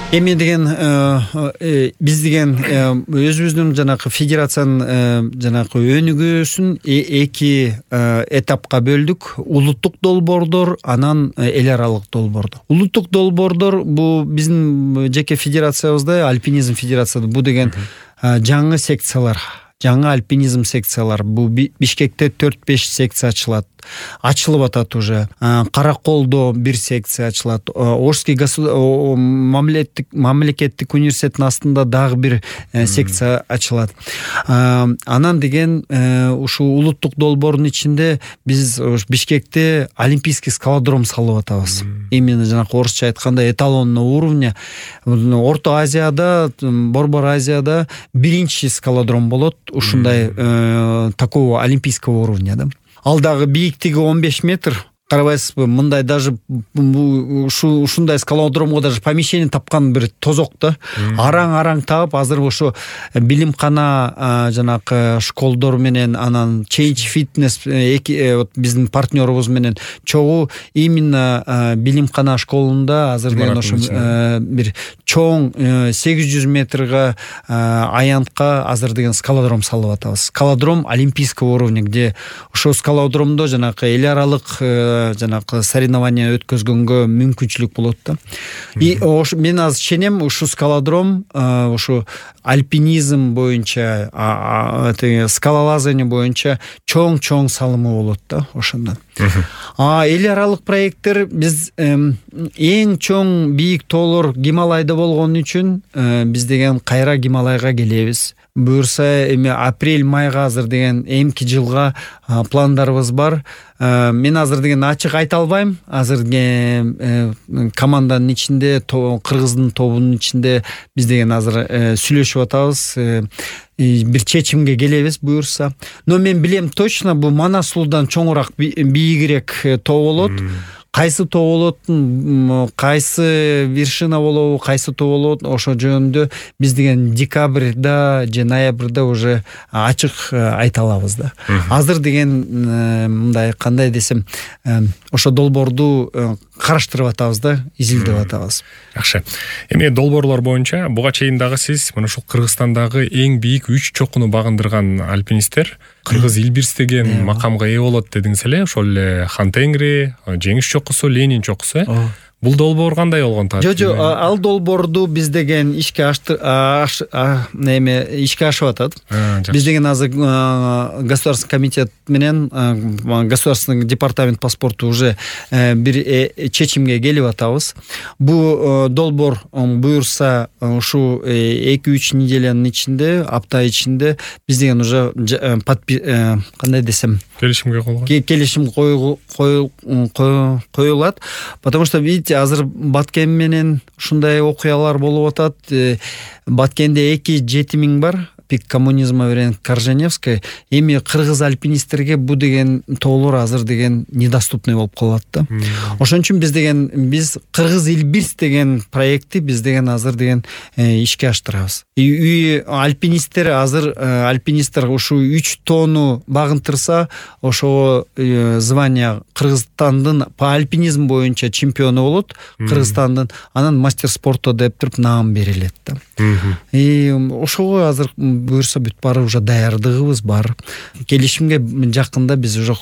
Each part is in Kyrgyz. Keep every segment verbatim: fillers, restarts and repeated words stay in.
Эми деген биз деген өзүбүздүн жанагы федерациянын жанагы өнүгүүсүн эки этапка бөлдүк. Улуттук долбоордор, анан эл аралык долбоордор. Улуттук долбоордор бул биздин жеке федерациябызда, альпинизм федерацияда бул деген жаңы секциялар, жаңы альпинизм секциялар. Бул Бишкекте төрт беш секция ачылат. Ачылып атат уже. Караколдо бир секция ачылат. Орский мамлекеттик мамлекеттик университеттин астында дагы бир секция ачылат. Анан деген ушул улуттук долбоордун ичинде биз Бишкекте олимпийский скалодром салып атабыз. Именно жанагы орусча айтканда эталонный уровня. Орто Азияда, Борбор Азияда биринчи скалодром болот. Ушундай такого олимпийского уровня, да. Ал дагы бийиктиги он беш метр. Карабайсызбы, мындай даже ушундай скалодромго даже помещение тапкан бир тозок да. Араң-араң таап, азыр ошо билимкана жанагы школдор менен, анан Change Fitness биздин партнерубуз менен чогуу именно билимкана школунда азыр деген ошо бир чоң сегиз жүз метрге аянтка азыр деген скалодром салып атабыз. Скалодром олимпийского уровня, где ошо скалодромдо жанагы эл аралык жанагы соревнования өткөзгөнгө мүмкүнчүлүк болот да. И мен азыр ишенем, ушу скалодром ушу альпинизм боюнча, скалолазание боюнча чоң-чоң салымы болот да ошондон. А эл аралык проекттер биз эң чоң бийик тоолор Гималайда болгон үчүн биз деген кайра Гималайга келебиз. Буюрса эми апрель-майга азыр деген эмки жылга пландарыбыз бар. Мен азыр деген ачык айта албайм. Азыр команданын ичинде, кыргыздын тобунун ичинде биз деген азыр сүйлөшүп атабыз. Бир чечимге келебиз буюрса. Но мен билем точно, бул Манас сулуудан чоңураак, бийигирээк тоо болот. Кайсы тоо болот, кайсы вершина болобу, кайсы тоо болот, ошо жөнүндө биз деген декабрда же ноябрда уже ачык айта алабыз да. Азыр деген мындай кандай десем, ошо долбоорду караштырып атабыз да, изилдеп атабыз. Жакшы. Эми долбоорлор боюнча буга чейин дагы сиз мына ушул Кыргызстандагы эң бийик үч чокуну багындырган альпинисттер Кыргыз Илбирс деген макамга ээ болот дедиңиз эле. Ошол эле Хан Тенгри, Жеңиш чокусу, Ленин чокусу. Бул долбоор кандай болгон таап? Жо, жо, ал долбоорду биз деген ишке ашты, неме ишке ашып атат. Биз деген азыр государственный комитет менен государственный департамент по спорту уже бир чечимге келип атабыз. Бул долбоор буюрса ушу эки үч неделянын ичинде, апта ичинде биз деген уже кандай десем, келишимге коюлган. Келишим коюлат, потому что видите, азыр Баткен менен ушундай окуялар болуп атат. Баткенде эки жети миң бар, пик коммунизма менен Корженевская. Эми кыргыз альпинисттерге бу деген тоолор азыр деген недоступный болуп калат да. Ошон үчүн биз деген биз Кыргыз Илбирс деген проектти биз деген азыр деген ишке аштырабыз. И альпинисттер азыр альпинисттер ушу үч тоону багынтырса, ошо звание Кыргызстандын по альпинизм боюнча чемпиону болот, Кыргызстандын, анан мастер спорта деп туруп наам берилет да. И ошого азыр буюрса бүт баары уже даярдыгыбыз бар. Келишимге жакында биз уже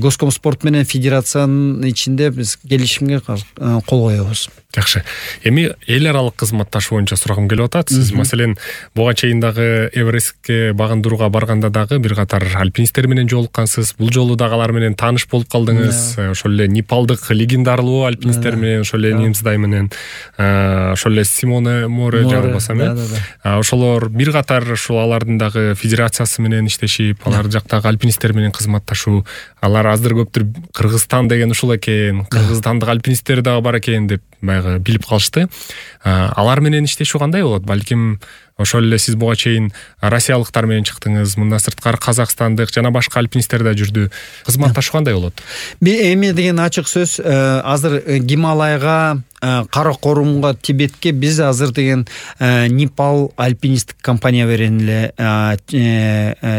Госкомспорт менен федерациянын ичинде биз келишимге кол коебуз. Жакшы. Эми эл аралык кызматташуу боюнча сурагым келип атат. Сиз маселен буга чейин дагы Эверестке багындырууга барганда дагы бир катар альпинисттер менен жолуккансыз. Бул жолу дагы алар менен тааныш болуп калдыңыз. Ошол эле непалдык легендарлуу альпинисттер менен, ошол эле Немсдай менен, ошол эле Симоне Море жагылбасам э. Ошолор бир катар ушул алардын дагы федерациясы менен иштешип, алар жактагы альпинисттер менен кызматташуу, алар азыр көптүр Кыргызстан деген ушул экен, кыргызстандык альпинисттер дагы бар экен деп баягы билип калышты. Алар менен иштешүү кандай болот? Балким ошол эле сиз буга чейин россиялыктар менен чыктыңыз, мындан сырткары казакстандык жана башка альпинисттер да жүрдү. Кызматташуу кандай болот? Эми деген ачык сөз, азыр Гималайга Каракорумга, Тибетке биз азыр деген Непал альпинисттик компания менен эле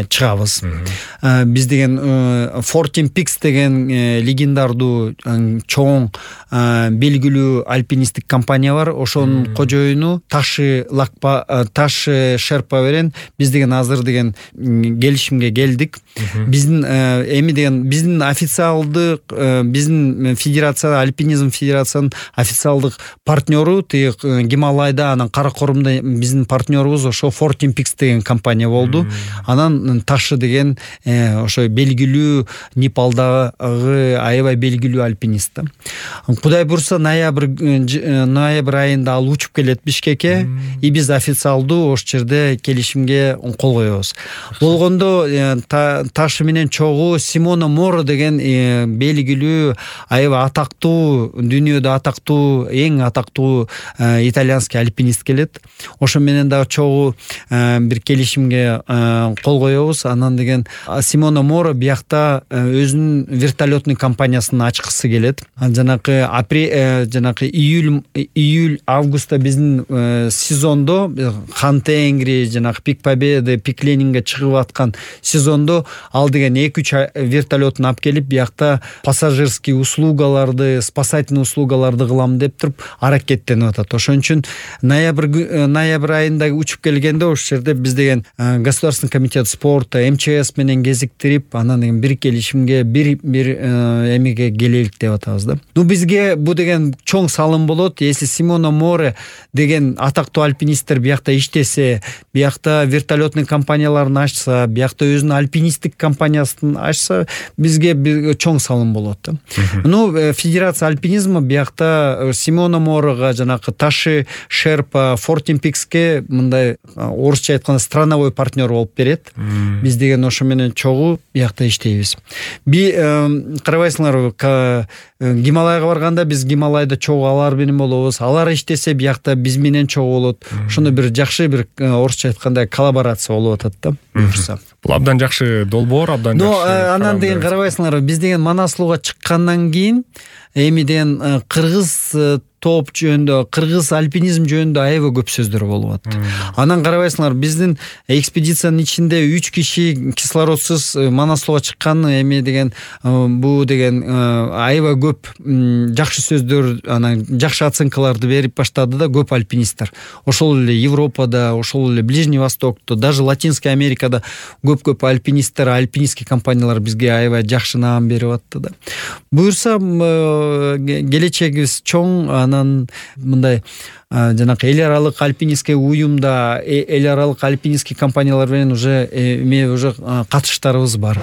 чыгабыз. Биз деген Fourteen Peaks деген легендардуу чоң белгилүү альпинисттик компания бар. Ошонун кожоюну Таши Лакпа Таши Шерпа менен биз деген азыр деген келишимге келдик. Биздин эми деген биздин официалдык биздин федерация альпинизм федерациянын официалдык партнеру тиги Гималайда, анан Каракорумда биздин партнерубуз ошо Fourteen Peaks деген компания болду. Анан Таши деген ошо белгилүү Непалдагы аябай белгилүү альпинист. Кудай бурса ноябрь ноябрь айында ал учуп келет Бишкекке, и биз официалдуу ошол жерде келишимге кол коебуз. Болгондо Таши менен чогуу Симона Моро деген белгилүү аябай атактуу, дүйнөдө атактуу, эң атактуу итальянский альпинист келет. Ошо менен дагы чогуу бир келишимге кол коебуз. Анан деген Симона Моро биякта өзүнүн вертолетный компаниясын ачкысы келет. Жанакы апрель жанакы июль июль августта биздин сезондо Хантенгри, жанакы Пик Победы, Пик Ленинге чыгып аткан сезондо ал деген эки үч вертолетун алып келип биякта пассажирский услугаларды, спасательный услугаларды кылам деп туруп аракеттенип атат. Ошон үчүн ноябрь ноябрь айында учуп келгенде ошол жерде биз деген Государственный комитет спорта, эм че эс менен кезиктирип, анан деген бир келишимге, бир бир эмеге келелик деп атабыз да. Ну бизге бу деген чоң салым болот. Если Симона Море деген атактуу альпинисттер биякта иштесе, биякта вертолетный компанияларын ачса, биякта өзүнүн альпинисттик компаниясын ачса, бизге чоң салым болот да. Ну федерация альпинизма биякта Симона Морога, жанакы Таши Шерпа, Fourteen Peaksке мындай орусча айтканда страновой партнер болуп берет. Биз деген ошо менен чогуу биякта иштейбиз. Би карабайсыңарбы, Гималайга барганда биз Гималайда чогуу алар менен болобуз. Алар иштесе биякта биз менен чогуу болот. Ошондой бир жакшы бир орусча айтканда коллаборация болуп атат да. Буюрса. Бул абдан жакшы долбоор, абдан жакшы. Но анан деген карабайсыңарбы, биз деген Манаслууга чыккандан кийин эми деген кыргыз топ жөнүндө, кыргыз альпинизм жөнүндө аябай көп сөздөр болуп атат. Анан карабайсыңар, биздин экспедициянын ичинде үч киши кислородсуз Манаслууга чыккан, эми деген бу деген аябай көп жакшы сөздөр, анан жакшы оценкаларды берип баштады да көп альпинисттер. Ошол эле Европада, ошол эле Ближний Востокто, даже Латинская Америкада көп-көп альпинисттер, альпинистский компаниялар бизге аябай жакшы наам берип атты да. Буюрса келечегибиз чоң. Анан мындай жанакы эл аралык альпинистский уюмда, эл аралык альпинистский компаниялар менен уже эме уже катыштарыбыз бар.